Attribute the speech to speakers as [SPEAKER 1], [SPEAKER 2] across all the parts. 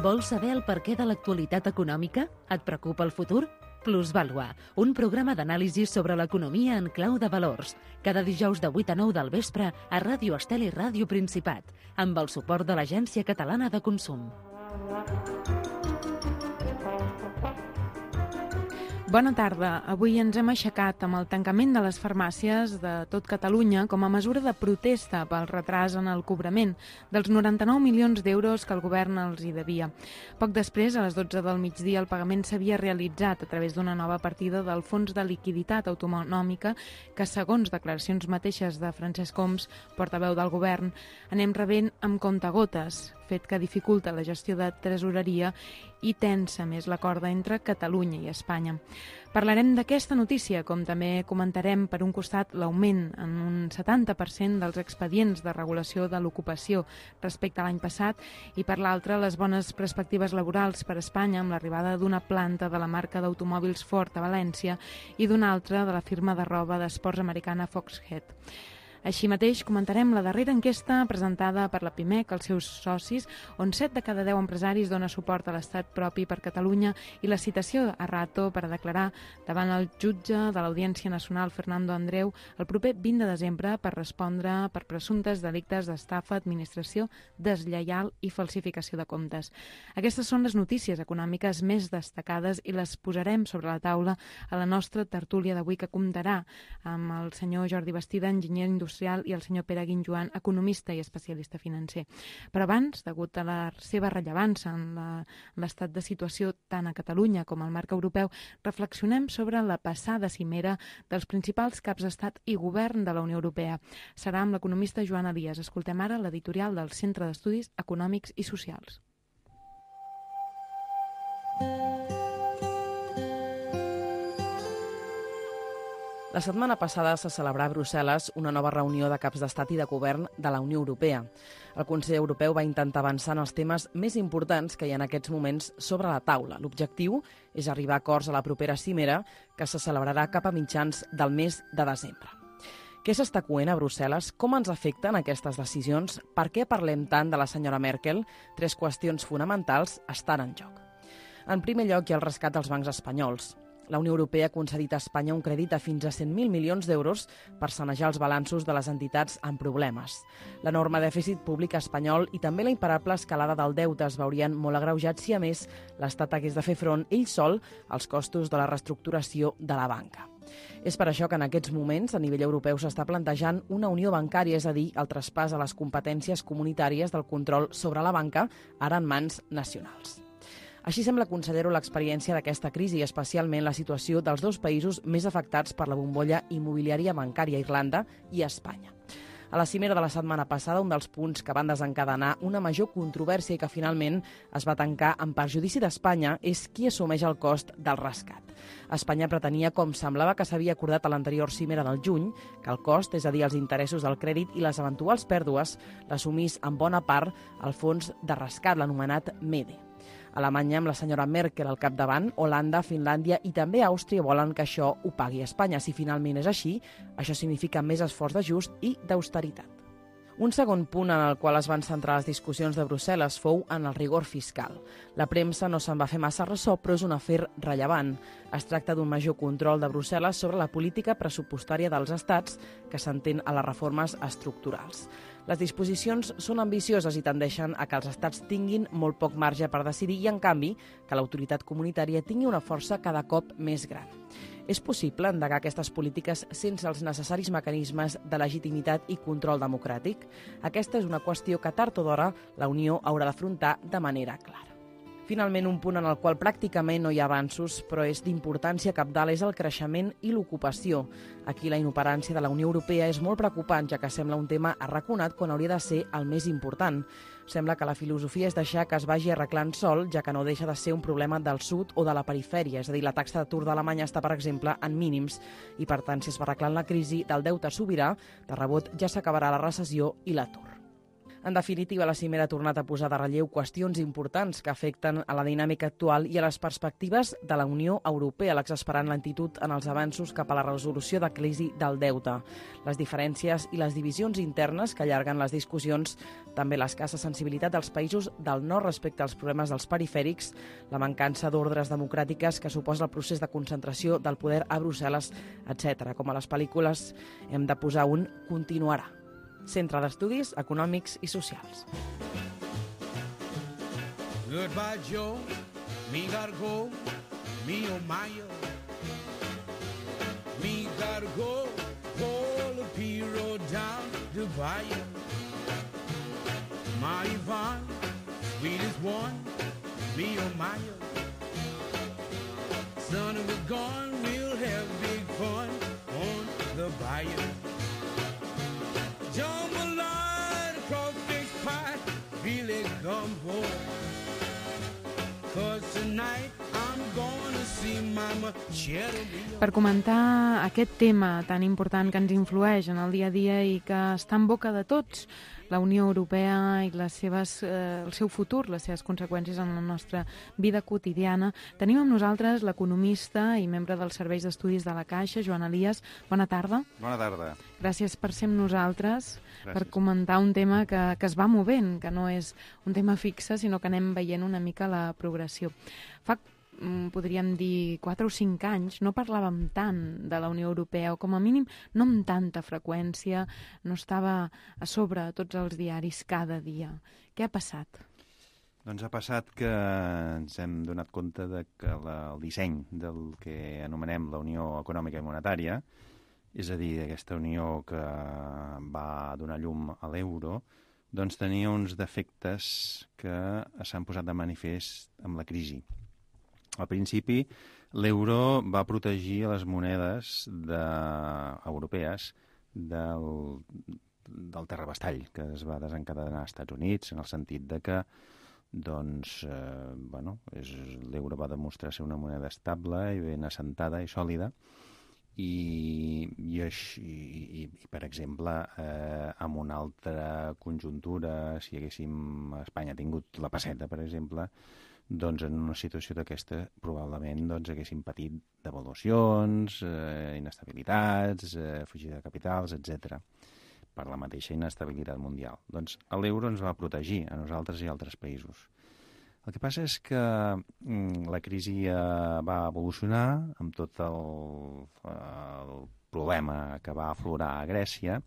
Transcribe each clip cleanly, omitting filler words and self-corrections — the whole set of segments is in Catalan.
[SPEAKER 1] Vols saber el perquè de l'actualitat econòmica? Et preocupa el futur? Plusvàlua, un programa d'anàlisi sobre l'economia en clau de valors. Cada dijous de 8 a 9 del vespre a Ràdio Estel i Ràdio Principat, amb el suport de l'Agència Catalana de Consum.
[SPEAKER 2] Bona tarda. Avui ens hem aixecat amb el tancament de les farmàcies de tot Catalunya com a mesura de protesta pel retras en el cobrament dels 99 milions d'euros que el govern els hi devia. Poc després, a les 12 del migdia, el pagament s'havia realitzat a través d'una nova partida del Fons de Liquiditat Autonòmica que, segons declaracions mateixes de Francesc Homs, portaveu del govern, anem rebent amb comptagotes, fet que dificulta la gestió de tresoreria i tensa més la corda entre Catalunya i Espanya. Parlarem d'aquesta notícia, com també comentarem, per un costat, l'augment en un 70% dels expedients de regulació de l'ocupació respecte a l'any passat i, per l'altre, les bones perspectives laborals per a Espanya amb l'arribada d'una planta de la marca d'automòbils Ford a València i d'una altra de la firma de roba d'esports americana Foxhead. Així mateix, comentarem la darrera enquesta presentada per la PIMEC als seus socis, on 7 de cada 10 empresaris dona suport a l'estat propi per Catalunya i la citació a Rato per a declarar davant el jutge de l'Audiència Nacional, Fernando Andreu, el proper 20 de desembre per respondre per presumptes delictes d'estafa, administració deslleial i falsificació de comptes. Aquestes són les notícies econòmiques més destacades i les posarem sobre la taula a la nostra tertúlia d'avui, que comptarà amb el senyor Jordi Bastida, enginyer industrial, i el senyor Pere Guinjoan, economista i especialista financer. Però abans, degut a la seva rellevància en l'estat de situació tant a Catalunya com al marc europeu, reflexionem sobre la passada cimera dels principals caps d'estat i govern de la Unió Europea. Serà amb l'economista Joana Díaz. Escoltem ara l'editorial del Centre d'Estudis Econòmics i Socials.
[SPEAKER 3] La setmana passada se celebrà a Brussel·les una nova reunió de caps d'estat i de govern de la Unió Europea. El Consell Europeu va intentar avançar en els temes més importants que hi ha en aquests moments sobre la taula. L'objectiu és arribar a acords a la propera cimera, que se celebrarà cap a mitjans del mes de desembre. Què s'està coent a Brussel·les? Com ens afecten aquestes decisions? Per què parlem tant de la senyora Merkel? 3 qüestions fonamentals estan en joc. En primer lloc, hi ha el rescat dels bancs espanyols. La Unió Europea ha concedit a Espanya un crèdit de fins a 100.000 milions d'euros per sanejar els balanços de les entitats amb problemes. L'enorme dèficit públic espanyol i també la imparable escalada del deute es veurien molt agreujats si, a més, l'Estat hagués de fer front ell sol als costos de la reestructuració de la banca. És per això que en aquests moments, a nivell europeu, s'està plantejant una unió bancària, és a dir, el traspàs a les competències comunitàries del control sobre la banca, ara en mans nacionals. Així sembla, consellero, l'experiència d'aquesta crisi, especialment la situació dels 2 països més afectats per la bombolla immobiliària bancària, Irlanda i Espanya. A la cimera de la setmana passada, un dels punts que van desencadenar una major controvèrsia i que finalment es va tancar en perjudici d'Espanya és qui assumeix el cost del rescat. Espanya pretenia, com semblava que s'havia acordat a l'anterior cimera del juny, que el cost, és a dir, els interessos del crèdit i les eventuals pèrdues, l'assumís en bona part el fons de rescat, l'anomenat MEDE. Alemanya, amb la senyora Merkel al capdavant, Holanda, Finlàndia i també Àustria volen que això ho pagui Espanya. Si finalment és així, això significa més esforç d'ajust i d'austeritat. Un segon punt en el qual es van centrar les discussions de Brussel·les fou en el rigor fiscal. La premsa no se'n va fer massa ressò, però és un afer rellevant. Es tracta d'un major control de Brussel·les sobre la política pressupostària dels estats que s'entén a les reformes estructurals. Les disposicions són ambicioses i tendeixen a que els estats tinguin molt poc marge per decidir i, en canvi, que l'autoritat comunitària tingui una força cada cop més gran. És possible endegar aquestes polítiques sense els necessaris mecanismes de legitimitat i control democràtic? Aquesta és una qüestió que tard o d'hora la Unió haurà d'afrontar de manera clara. Finalment, un punt en el qual pràcticament no hi ha avanços, però és d'importància cabdal, és el creixement i l'ocupació. Aquí la inoperància de la Unió Europea és molt preocupant, ja que sembla un tema arraconat quan hauria de ser el més important. Sembla que la filosofia és deixar que es vagi arreglant sol, ja que no deixa de ser un problema del sud o de la perifèria. És a dir, la taxa d'atur d'Alemanya està, per exemple, en mínims i, per tant, si es va arreglant la crisi del deute sobirà, de rebot ja s'acabarà la recessió i l'atur. En definitiva, la cimera ha tornat a posar de relleu qüestions importants que afecten a la dinàmica actual i a les perspectives de la Unió Europea, l'exasperant lentitud en els avanços cap a la resolució de crisi del deute. Les diferències i les divisions internes que allarguen les discussions, també l'escassa sensibilitat dels països del nord respecte als problemes dels perifèrics, la mancança d'ordres democràtiques que suposa el procés de concentració del poder a Brussel·les, etc. Com a les pel·lícules, hem de posar un continuarà. Centre d'Estudis Econòmics i Socials.
[SPEAKER 4] Goodbye, Joe. Me gotta go. Me oh my oh. Me gotta go. Pull the P-road down to Bayou. My Yvonne, sweetest one. Me oh my oh. Son, we're gone. We'll have big fun on the bayou. Jambalaya across this pie, really gumbo. 'Cause tonight I'm gonna see Mama Cherubino.
[SPEAKER 2] Per comentar aquest tema tan important que ens influeix en el dia a dia i que està en boca de tots, la Unió Europea i el seu futur, les seves conseqüències en la nostra vida quotidiana, tenim amb nosaltres l'economista i membre dels serveis d'estudis de la Caixa, Joan Elias. Bona tarda.
[SPEAKER 5] Bona tarda.
[SPEAKER 2] Gràcies per ser amb nosaltres,
[SPEAKER 5] Gràcies.
[SPEAKER 2] per comentar un tema que es va movent, que no és un tema fixe, sinó que anem veient una mica la progressió. Fa, podríem dir, 4 o 5 anys no parlàvem tant de la Unió Europea, o com a mínim no amb tanta freqüència, no estava a sobre tots els diaris cada dia. Què ha passat?
[SPEAKER 5] Doncs ha passat que ens hem donat compte de que el disseny del que anomenem la Unió Econòmica i Monetària, és a dir, aquesta unió que va donar llum a l'euro, doncs tenia uns defectes que s'han posat de manifest amb la crisi. Al principi, l'euro va protegir les monedes europees del terrabastall que es va desencadenar als Estats Units, en el sentit de que l'euro va demostrar ser una moneda estable i ben assentada i sòlida, i per exemple, en una altra conjuntura, si Espanya tingut la pesseta, per exemple, doncs en una situació d'aquesta probablement haguéssim patit devaluacions, inestabilitats, fugida de capitals, etc. per la mateixa inestabilitat mundial. Doncs l'euro ens va protegir a nosaltres i a altres països. El que passa és que la crisi va evolucionar amb tot el problema que va aflorar a Grècia,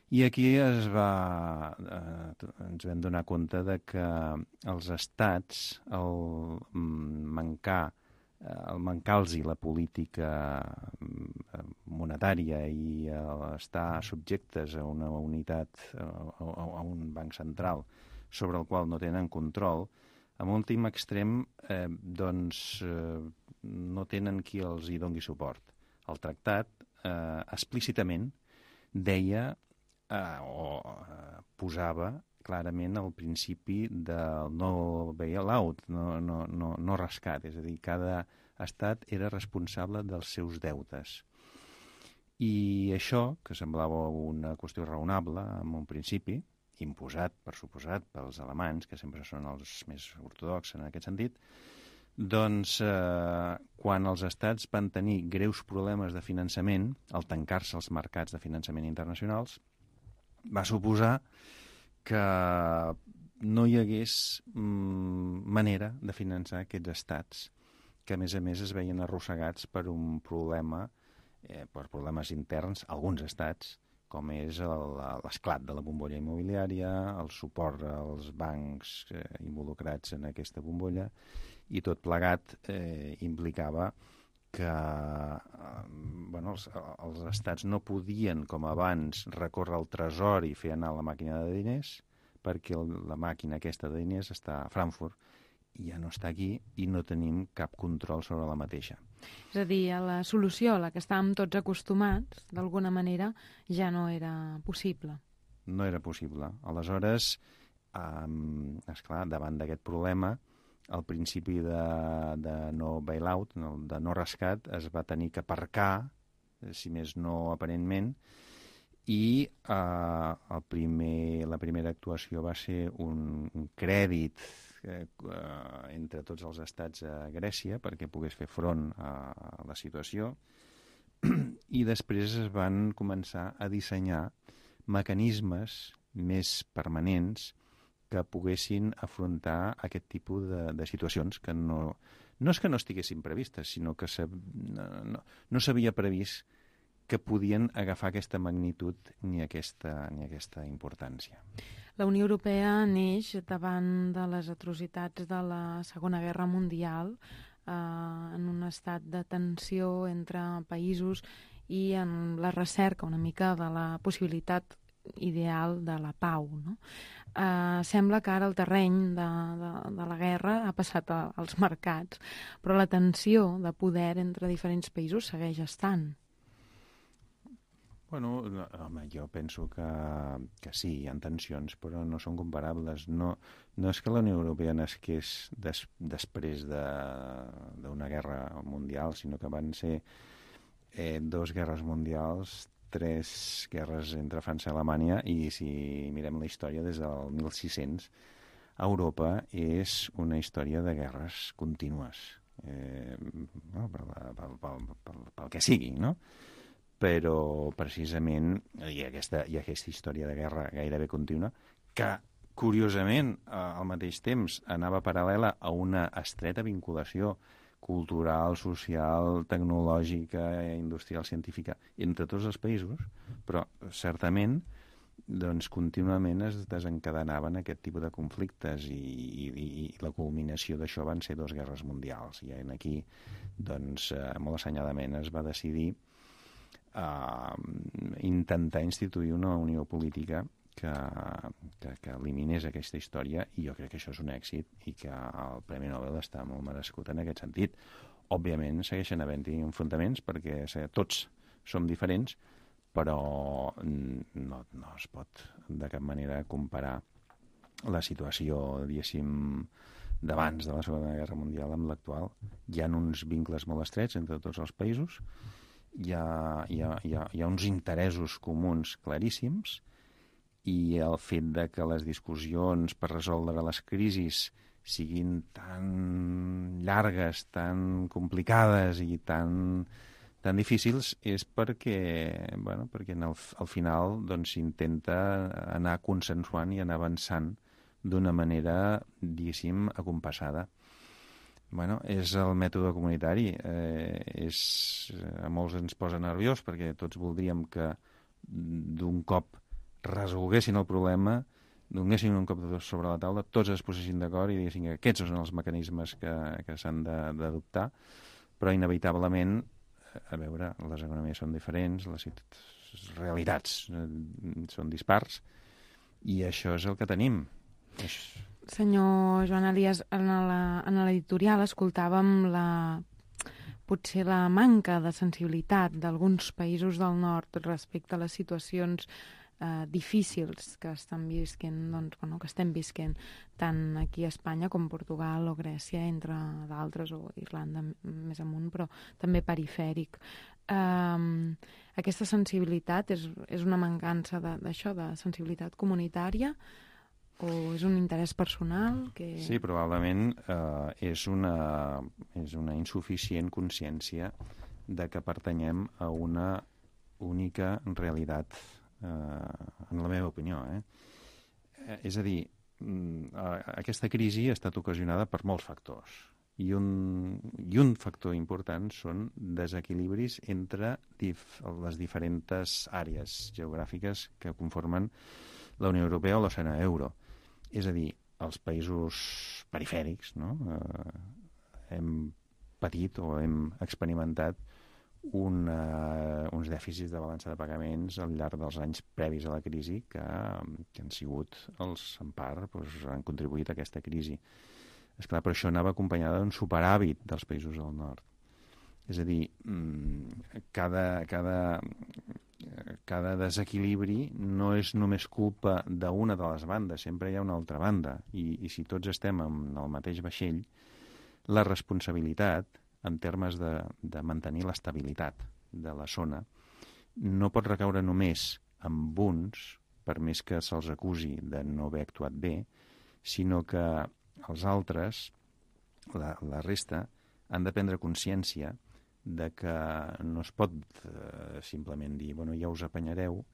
[SPEAKER 5] i aquí ens vam donar compte de que els estats, al mancar-los la política monetària i estar subjectes a una unitat, a un banc central sobre el qual no tenen control, en últim extrem no tenen qui els hi doni suport. El tractat explícitament deia posava clarament el principi del no bailout, no rescat, és a dir, cada estat era responsable dels seus deutes. I això, que semblava una qüestió raonable en un principi, imposat, per suposat, pels alemanys, que sempre són els més ortodoxs en aquest sentit, doncs quan els estats van tenir greus problemes de finançament, al tancar-se els mercats de finançament internacionals, va suposar que no hi hagués manera de finançar aquests estats, que a més es veien arrossegats per un problema, per problemes interns, alguns estats, com és l'esclat de la bombolla immobiliària, el suport als bancs involucrats en aquesta bombolla, i tot plegat implicava que els estats no podien, com abans, recórrer al tresor i fer anar la màquina de diners, perquè la màquina aquesta de diners està a Frankfurt i ja no està aquí i no tenim cap control sobre la mateixa.
[SPEAKER 2] És a dir, la solució a la que estàvem tots acostumats, d'alguna manera, ja no era possible.
[SPEAKER 5] No era possible. Aleshores, esclar, davant d'aquest problema, el principi de no bailout, de no rescat, es va tenir que aparcar, si més no aparentment, i la primera actuació va ser un crèdit entre tots els estats a Grècia perquè pogués fer front a la situació, i després es van començar a dissenyar mecanismes més permanents que poguessin afrontar aquest tipus de situacions que no és que no estiguessin previstes, sinó que no s'havia previst que podien agafar aquesta magnitud ni aquesta importància.
[SPEAKER 2] La Unió Europea neix davant de les atrocitats de la Segona Guerra Mundial, en un estat de tensió entre països i en la recerca una mica de la possibilitat ideal de la pau, no? Sembla que ara el terreny de la guerra ha passat als mercats, però la tensió de poder entre diferents països segueix estant.
[SPEAKER 5] Bueno, home, jo penso que sí, hi ha tensions, però no són comparables. No és que la Unió Europea nasqués després d'una guerra mundial, sinó que van ser 2 guerres mundials, 3 guerres entre França i Alemanya, i si mirem la història des del 1600, Europa és una història de guerres contínues, pel que sigui, no? Però precisament hi ha aquesta història de guerra gairebé contínua que, curiosament, al mateix temps anava paral·lela a una estreta vinculació cultural, social, tecnològica, industrial, científica, entre tots els països, però certament doncs, contínuament es desencadenaven aquest tipus de conflictes i la culminació d'això van ser 2 guerres mundials. I aquí, doncs, molt assenyadament es va decidir intentar instituir una unió política que eliminés aquesta història, i jo crec que això és un èxit i que el Premi Nobel està molt merescut en aquest sentit. Òbviament segueixen havent-hi enfrontaments perquè tots som diferents, però no es pot de cap manera comparar la situació, diguéssim, d'abans de la Segona Guerra Mundial amb l'actual. Hi ha uns vincles molt estrets entre tots els països, hi ha uns interessos comuns claríssims, i el fet de que les discussions per resoldre les crisis siguin tan llargues, tan complicades i tan difícils és perquè al final s'intenta anar consensuant i anar avançant d'una manera, diguéssim, acompassada. És el mètode comunitari. A molts ens posa nerviós perquè tots voldríem que d'un cop resolguessin el problema, donessin un cop sobre la taula, tots es posessin d'acord i diguessin que aquests són els mecanismes que s'han d'adoptar, però inevitablement, a veure, les economies són diferents, les realitats són dispars, i això és el que tenim.
[SPEAKER 2] Senyor Joan Elias, en l'editorial escoltàvem potser la manca de sensibilitat d'alguns països del nord respecte a les situacions difícils que estem visquent tant aquí a Espanya com Portugal o Grècia, entre d'altres, o Irlanda més amunt, però també perifèric. Aquesta sensibilitat és una mancança d'això, de sensibilitat comunitària, o és un interès personal?
[SPEAKER 5] Sí, probablement és una insuficient consciència de que pertanyem a una única realitat, en la meva opinió. És a dir, aquesta crisi ha estat ocasionada per molts factors, i un factor important són desequilibris entre les diferents àrees geogràfiques que conformen la Unió Europea o la zona euro. És a dir, els països perifèrics, no? Hem patit o hem experimentat uns dèficits de balança de pagaments al llarg dels anys previs a la crisi que han sigut en part, han contribuït a aquesta crisi. Esclar, però això anava acompanyada d'un superàvit dels països del nord. És a dir, cada desequilibri no és només culpa d'una de les bandes, sempre hi ha una altra banda. I si tots estem en el mateix vaixell, la responsabilitat, en termes de mantenir l'estabilitat de la zona, no pot recaure només amb uns, per més que se'ls acusi de no haver actuat bé, sinó que els altres, la resta, han de prendre consciència de que no es pot simplement dir, bueno, ja us apanyareu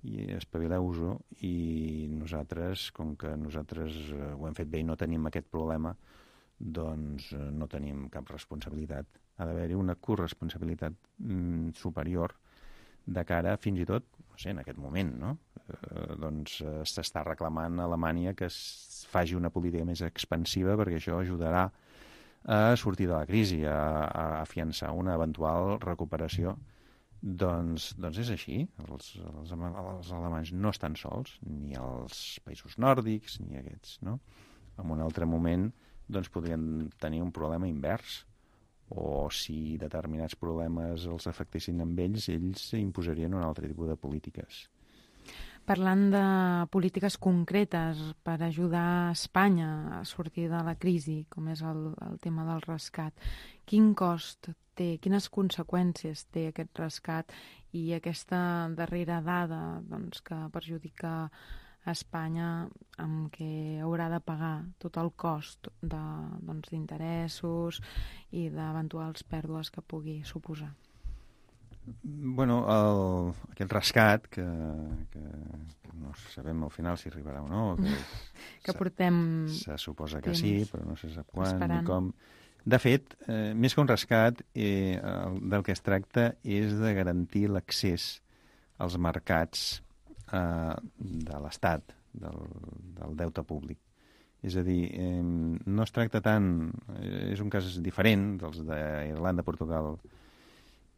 [SPEAKER 5] i espavileu-vos-ho, i nosaltres, com que nosaltres ho hem fet bé i no tenim aquest problema, doncs no tenim cap responsabilitat. Ha d'haver-hi una corresponsabilitat superior de cara, fins i tot, no sé, en aquest moment, no? Doncs s'està reclamant a Alemanya que es faci una política més expansiva perquè això ajudarà a sortir de la crisi, a afiançar una eventual recuperació. Doncs és així. Els alemanys no estan sols, ni els països nòrdics, ni aquests, no? En un altre moment doncs podrien tenir un problema invers, o si determinats problemes els afectessin amb ells imposarien un altre tipus de polítiques.
[SPEAKER 2] Parlant de polítiques concretes per ajudar Espanya a sortir de la crisi, com és el tema del rescat, quin cost té, quines conseqüències té aquest rescat i aquesta darrera dada doncs, que perjudica a Espanya, amb què haurà de pagar tot el cost d'interessos i d'eventuals pèrdues que pugui suposar?
[SPEAKER 5] Bueno, aquest rescat, que no sabem al final si arribarà o no,
[SPEAKER 2] que portem
[SPEAKER 5] se suposa que sí, però no se sap quan
[SPEAKER 2] esperant.
[SPEAKER 5] ni com. De fet, més que un rescat, del que es tracta és de garantir l'accés als mercats de l'Estat, del deute públic. És a dir, no es tracta tant, és un cas diferent dels d'Irlanda, Portugal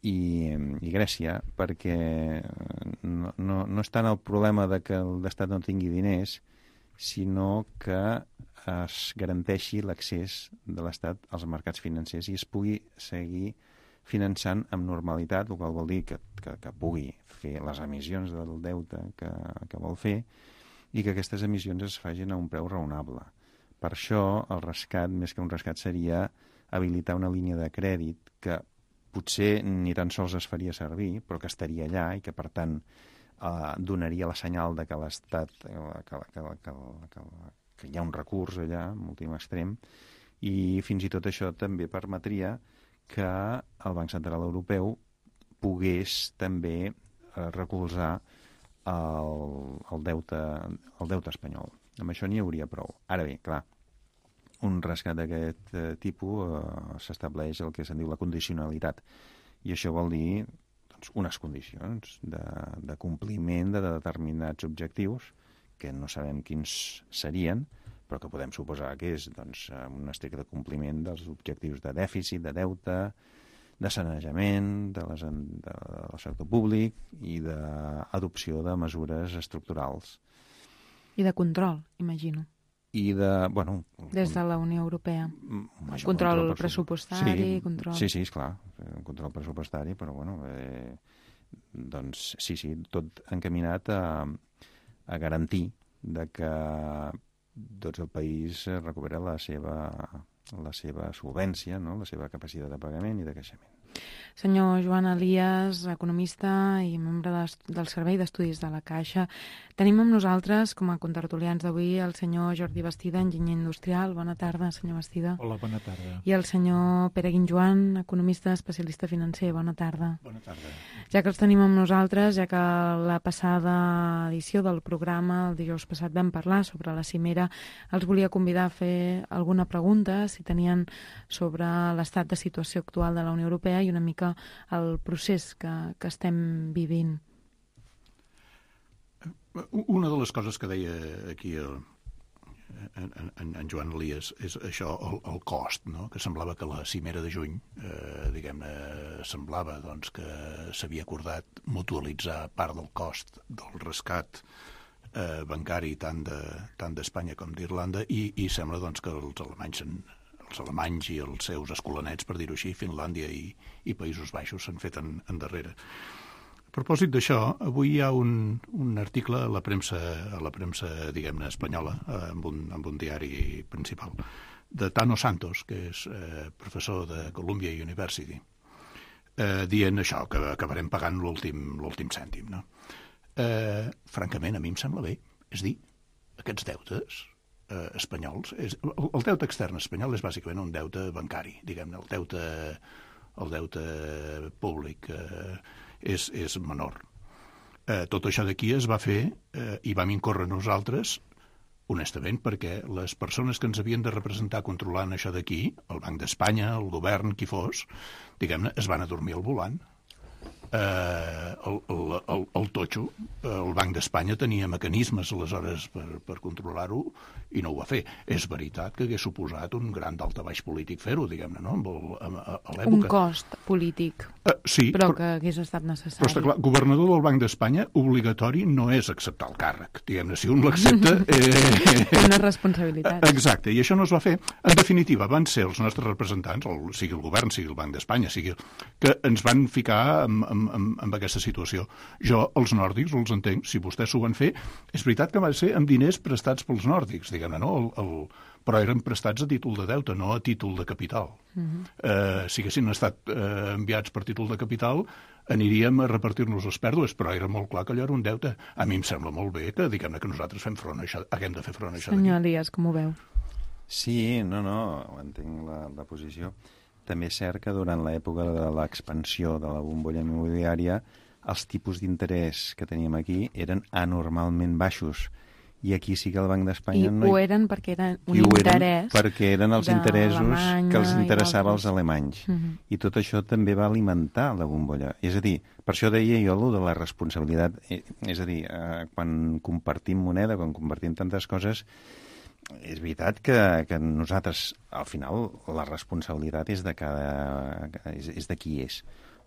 [SPEAKER 5] i Grècia, perquè no és tant el problema de que l'Estat no tingui diners, sinó que es garanteixi l'accés de l'Estat als mercats financers i es pugui seguir finançant amb normalitat, el qual vol dir que pugui fer les emissions del deute que vol fer i que aquestes emissions es facin a un preu raonable. Per això el rescat, més que un rescat, seria habilitar una línia de crèdit que potser ni tan sols es faria servir, però que estaria allà i que, per tant, donaria la senyal de que l'Estat, que hi ha un recurs allà, en últim extrem, i fins i tot això també permetria que el Banc Central Europeu pogués també recolzar el deute espanyol. Amb això n'hi hauria prou. Ara bé, clar, un rescat d'aquest tipus s'estableix el que se'n diu la condicionalitat. I això vol dir unes condicions de compliment de determinats objectius que no sabem quins serien, però que podem suposar que és un estricte compliment dels objectius de dèficit, de deute, de sanejament del sector públic i d'adopció de mesures estructurals.
[SPEAKER 2] I de control, imagino.
[SPEAKER 5] I de,
[SPEAKER 2] des de la Unió Europea. Control pressupostari, control...
[SPEAKER 5] Sí, esclar, un control pressupostari, però doncs sí, tot encaminat a garantir de que tot el país recupera la seva solvència, no? La seva capacitat de pagament i de creixement.
[SPEAKER 2] Senyor Joan Elias, economista i membre del Servei d'Estudis de la Caixa. Tenim amb nosaltres, com a contertulians d'avui, el senyor Jordi Bastida, enginyer industrial. Bona tarda, senyor Bastida.
[SPEAKER 6] Hola, bona tarda.
[SPEAKER 2] I el senyor Pere Guinjoan, economista especialista financer. Bona tarda.
[SPEAKER 6] Bona tarda.
[SPEAKER 2] Ja que els tenim amb nosaltres, ja que la passada edició del programa, el dijous passat, vam parlar sobre la cimera, els volia convidar a fer alguna pregunta, si tenien, sobre l'estat de situació actual de la Unió Europea i una mica el procés que estem vivint.
[SPEAKER 6] Una de les coses que deia aquí en Joan Elias és això, el cost, no? Que semblava que la cimera de juny, semblava que s'havia acordat mutualitzar part del cost del rescat bancari tant d'Espanya com d'Irlanda i sembla que els alemanys i els seus escolanets, per dir-ho així, Finlàndia i Països Baixos s'han fet endarrere. A propòsit d'això, avui hi ha un article a la premsa diguem-ne, espanyola, amb un diari principal, de Tano Santos, que és professor de Columbia University, dient això, que acabarem pagant l'últim cèntim, no? francament, a mi em sembla bé. És dir, aquests deutes espanyols, el deute extern espanyol és bàsicament un deute bancari, diguem-ne, el deute públic és menor. Tot això d'aquí es va fer i vam incórrer nosaltres, honestament, perquè les persones que ens havien de representar controlant això d'aquí, el Banc d'Espanya, el govern, qui fos, diguem-ne, es van adormir al volant. El totxo, el Banc d'Espanya tenia mecanismes aleshores per controlar-ho i no ho va fer. És veritat que hagués suposat un gran daltabaix polític fer-ho, diguem-ne, no? A l'època.
[SPEAKER 2] Un cost polític,
[SPEAKER 6] sí,
[SPEAKER 2] però que hagués estat necessari.
[SPEAKER 6] Però està clar, governador del Banc d'Espanya obligatori no és acceptar el càrrec, diguem-ne, si un l'accepta...
[SPEAKER 2] Una responsabilitat.
[SPEAKER 6] Exacte, i això no es va fer. En definitiva, van ser els nostres representants, sigui el govern, sigui el Banc d'Espanya, que ens van ficar amb aquesta situació. Jo, els nòrdics, els entenc, si vostès s'ho van fer, és veritat que van ser amb diners prestats pels nòrdics, diguem-ne, no? Però eren prestats a títol de deute, no a títol de capital. Si haguessin estat enviats per títol de capital, aniríem a repartir-nos les pèrdues, però era molt clar que allò era un deute. A mi em sembla molt bé que, diguem-ne, que nosaltres haguem de fer front a això.
[SPEAKER 2] Senyor Elias, com ho veu?
[SPEAKER 5] Sí, no, entenc la posició. També és cert que durant l'època de l'expansió de la bombolla immobiliària els tipus d'interès que teníem aquí eren anormalment baixos. I aquí sí que el Banc d'Espanya...
[SPEAKER 2] I ho eren perquè eren un interès...
[SPEAKER 5] Perquè eren els interessos que els interessava als alemanys. I tot això també va alimentar la bombolla. És a dir, per això deia jo allò de la responsabilitat. És a dir, quan compartim moneda, quan compartim tantes coses... És veritat que nosaltres, al final, la responsabilitat és de qui és.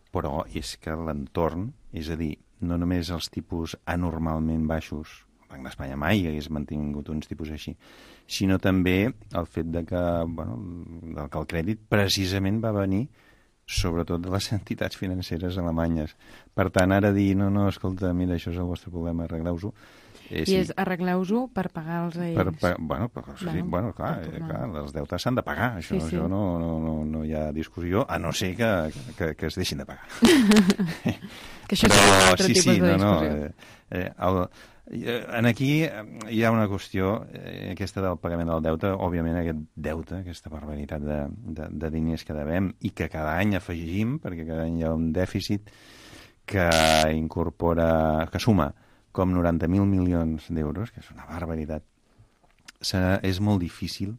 [SPEAKER 5] Però és que l'entorn, és a dir, no només els tipus anormalment baixos, el Banc d'Espanya mai hagués mantingut uns tipus així, sinó també el fet de que el crèdit precisament va venir sobretot de les entitats financeres alemanyes. Per tant, ara dir, no, escolta, mira, això és el vostre problema, arregleu-ho.
[SPEAKER 2] I és arregleu-ho per pagar-los a ells.
[SPEAKER 5] Clar, els deutes s'han de pagar, això no hi ha discussió, a no ser que es deixin de pagar.
[SPEAKER 2] Que això és un altre tipus de discussió.
[SPEAKER 5] Aquí hi ha una qüestió, aquesta del pagament del deute, òbviament aquest deute, aquesta barbaritat de diners que devem i que cada any afegim, perquè cada any hi ha un dèficit que suma com 90.000 milions d'euros, que és una barbaritat. És molt difícil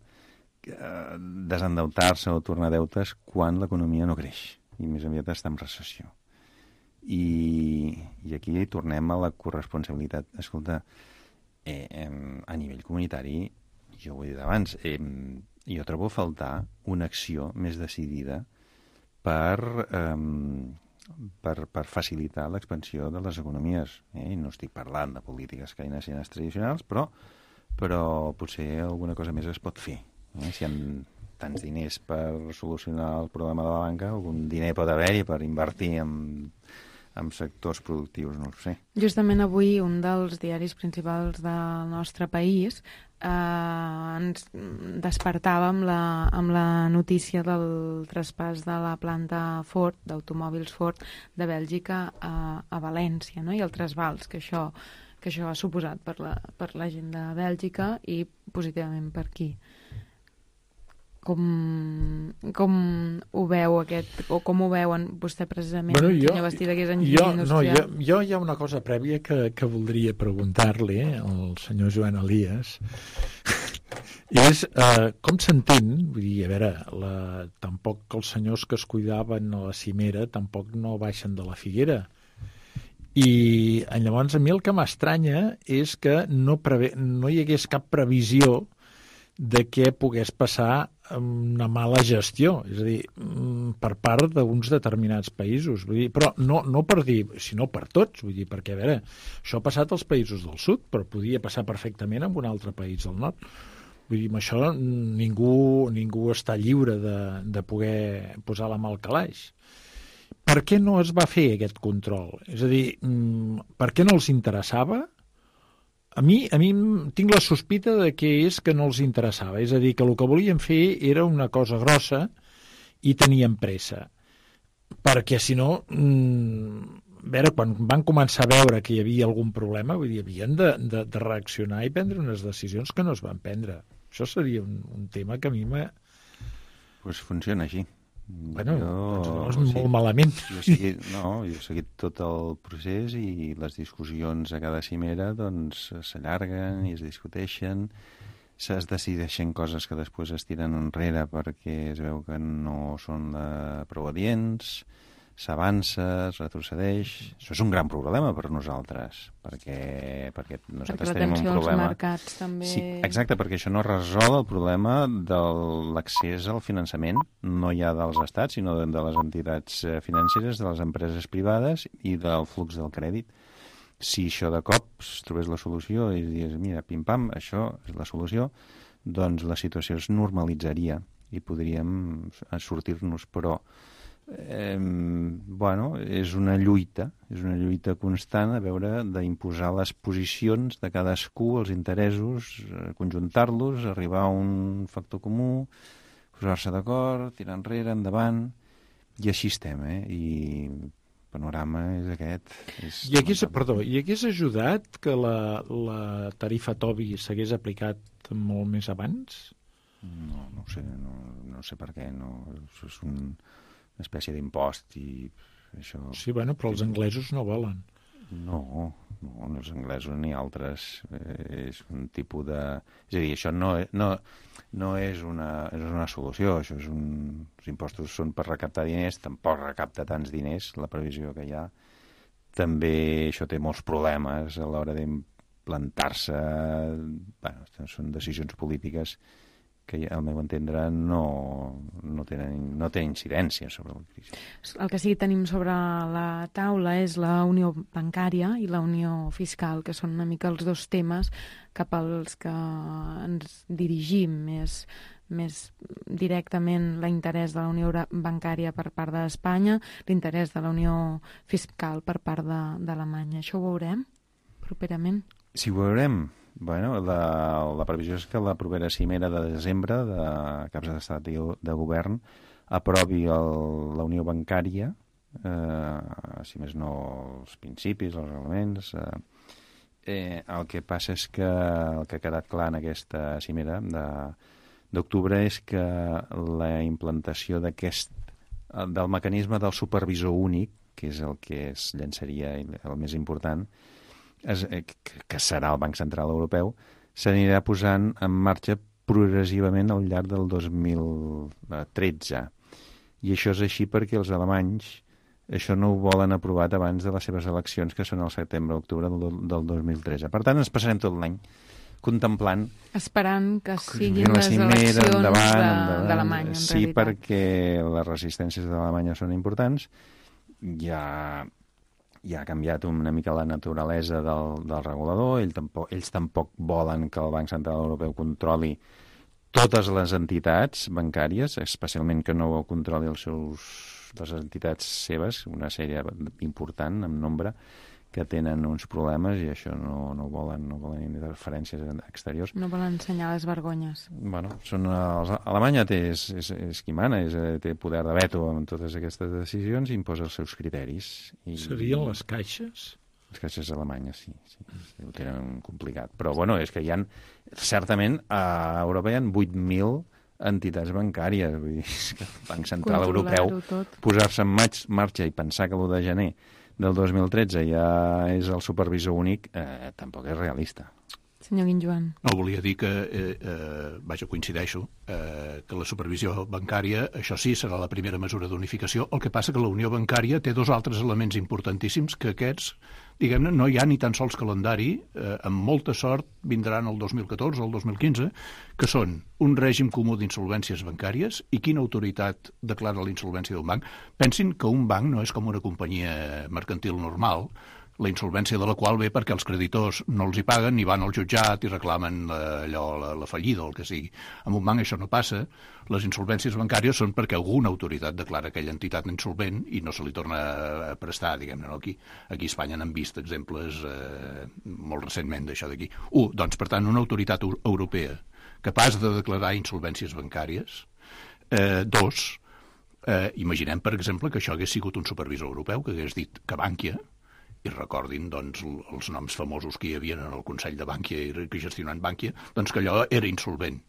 [SPEAKER 5] desendeutar-se o tornar deutes quan l'economia no creix i més aviat està en recessió. I aquí tornem a la corresponsabilitat. Escolta, a nivell comunitari, jo ho he dit abans, jo trobo a faltar una acció més decidida per facilitar l'expansió de les economies. I no estic parlant de polítiques keynesianes tradicionals, però potser alguna cosa més es pot fer. Si hi ha tants diners per solucionar el problema de la banca, algun diner pot haver-hi per invertir en sectors productius, no ho sé.
[SPEAKER 2] Justament avui un dels diaris principals del nostre país ens despertava amb la notícia del traspàs de la planta Ford, d'automòbils Ford, de Bèlgica a València, no? I el trasbals que això ha suposat per la gent de Bèlgica i positivament per aquí. Com ho veu aquest, o com ho veuen vostè precisament, senyor Bastida, que és enginyer industrial?
[SPEAKER 7] Jo hi ha una cosa prèvia que voldria preguntar-li al senyor Joan Elias, és com s'entén, vull dir, a veure, tampoc els senyors que es cuidaven a la cimera tampoc no baixen de la figuera, i llavors a mi el que m'estranya és que no hi hagués cap previsió de què pogués passar una mala gestió, és a dir, per part d'uns determinats països. Vull dir, però no per dir, sinó per tots, vull dir, perquè, a veure, això ha passat als països del sud, però podia passar perfectament en un altre país del nord. Vull dir, amb això ningú està lliure de poder posar la mà al calaix. Per què no es va fer aquest control? És a dir, per què no els interessava? A mi tinc la sospita de que és que no els interessava, és a dir, que el que volien fer era una cosa grossa i tenien pressa, perquè si no veure, quan van començar a veure que hi havia algun problema, vull dir, havien de reaccionar i prendre unes decisions que no es van prendre. Això seria un tema que a mi m'ha...
[SPEAKER 5] Pues funciona així.
[SPEAKER 7] Bueno, doncs no és molt malament.
[SPEAKER 5] Jo he seguit tot el procés i les discussions a cada cimera doncs s'allarguen i es discuteixen, es decideixen coses que després es tiren enrere perquè es veu que no són prou adients, s'avança, es retrocedeix. Això és un gran problema per nosaltres, perquè nosaltres tenim un problema...
[SPEAKER 2] Als mercats també...
[SPEAKER 5] Sí, exacte, perquè això no resol el problema de l'accés al finançament, no ja dels estats, sinó de les entitats financeres, de les empreses privades i del flux del crèdit. Si això de cop es trobés la solució i dius, mira, pim-pam, això és la solució, doncs la situació es normalitzaria i podríem sortir-nos, però és una lluita constant a veure d'imposar les posicions de cadascú, els interessos, conjuntar-los, arribar a un factor comú, posar-se d'acord, tirar enrere, endavant, i així estem, i el panorama és aquest.
[SPEAKER 7] I hagués ajudat que la tarifa Tobin s'hagués aplicat molt més abans?
[SPEAKER 5] No ho sé per què, no, això és una espècie d'impost i això...
[SPEAKER 7] Sí, bueno, però els anglesos no volen.
[SPEAKER 5] No, els anglesos ni altres. És un tipus de... És a dir, això no és una solució. Això és els impostos són per recaptar diners, tampoc recapta tants diners, la previsió que hi ha. També això té molts problemes a l'hora d'implantar-se. Bueno, són decisions polítiques que al meu entendre no té incidència sobre la crisi.
[SPEAKER 2] El que sí que tenim sobre la taula és la unió bancària i la unió fiscal, que són una mica els dos temes cap als que ens dirigim més directament l'interès de la unió bancària per part d'Espanya, l'interès de la unió fiscal per part d'Alemanya. Això ho veurem properament?
[SPEAKER 5] Sí, ho veurem. Bueno, la previsió és que la propera cimera de desembre de caps d'estat i de govern aprovi la unió bancària, si més no els principis, els reglaments. El que passa és que el que ha quedat clar en aquesta cimera d'octubre és que la implantació del mecanisme del supervisor únic, que és el que es llançaria el més important, que serà el Banc Central Europeu, s'anirà posant en marxa progressivament al llarg del 2013. I això és així perquè els alemanys això no ho volen aprovat abans de les seves eleccions, que són el setembre-octubre del 2013. Per tant, ens passarem tot l'any contemplant...
[SPEAKER 2] Esperant que siguin les eleccions d'Alemanya, en realitat.
[SPEAKER 5] Sí, perquè les resistències d'Alemanya són importants. Ja ha canviat una mica la naturalesa del regulador. Ells tampoc volen que el Banc Central Europeu controli totes les entitats bancàries, especialment que no controli les entitats seves, una sèrie important en nombre, que tenen uns problemes i això no volen interferències exteriors.
[SPEAKER 2] No volen ensenyar les vergonyes.
[SPEAKER 5] Bueno, Alemanya és qui mana, té poder de veto en totes aquestes decisions i imposa els seus criteris.
[SPEAKER 7] Serien les caixes?
[SPEAKER 5] Les caixes alemanyes, sí. Ho tenen complicat. Però, bueno, és que certament, a Europa hi ha 8.000 entitats bancàries. Vull dir, que el Banc Central Europeu posar-se en marxa i pensar que l'1 de gener del 2013 ja és el supervisor únic, tampoc és realista.
[SPEAKER 2] Senyor Guinjoan.
[SPEAKER 6] No, volia dir que, coincideixo, que la supervisió bancària, això sí, serà la primera mesura d'unificació. El que passa que la unió bancària té dos altres elements importantíssims que aquests, diguem-ne, no hi ha ni tan sols calendari, amb molta sort vindran el 2014 o el 2015, que són un règim comú d'insolvències bancàries i quina autoritat declara la insolvència d'un banc. Pensin que un banc no és com una companyia mercantil normal, la insolvència de la qual ve perquè els creditors no els hi paguen i van al jutjat i reclamen la fallida o el que sigui. En un banc això no passa. Les insolvències bancàries són perquè alguna autoritat declara aquella entitat insolvent i no se li torna a prestar, diguem-ne. Aquí a Espanya n'han vist exemples molt recentment d'això d'aquí. Doncs, per tant, una autoritat europea capaç de declarar insolvències bancàries. Dos, Imaginem, per exemple, que això hagués sigut un supervisor europeu que hagués dit que Bankia, i recordin doncs, els noms famosos que hi havia en el Consell de Bankia i que gestionant Bankia, doncs que allò era insolvent.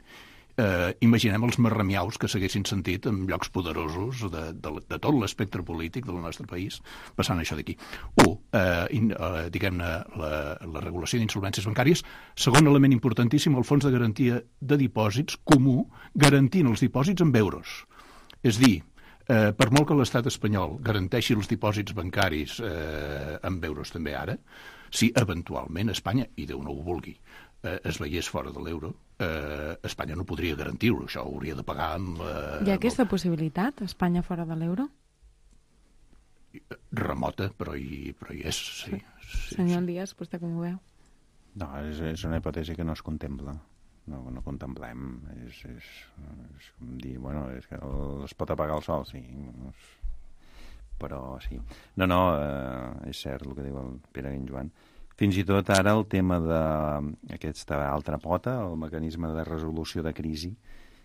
[SPEAKER 6] Imaginem els marramiaus que s'haguessin sentit en llocs poderosos de tot l'espectre polític del nostre país passant això d'aquí. Diguem-ne, la regulació d'insolvències bancàries. Segon element importantíssim, el fons de garantia de dipòsits comú, garantint els dipòsits en euros. És dir, per molt que l'estat espanyol garanteixi els dipòsits bancaris en euros també ara, si eventualment Espanya, i Déu no ho vulgui, es veiés fora de l'euro, Espanya no podria garantir-ho, això ho hauria de pagar amb...
[SPEAKER 2] Hi ha aquesta possibilitat, Espanya fora de l'euro?
[SPEAKER 6] Remota, però hi és, sí.
[SPEAKER 2] Senyor Díaz, vostè com ho veu?
[SPEAKER 5] No, és una hipòtesi que no es contempla. No contemplem. És com dir, bueno, és que es pot apagar el sol, sí. Però sí. No, és cert el que diu el Pere i en Joan. Fins i tot ara el tema d'aquesta altra pota, el mecanisme de resolució de crisi,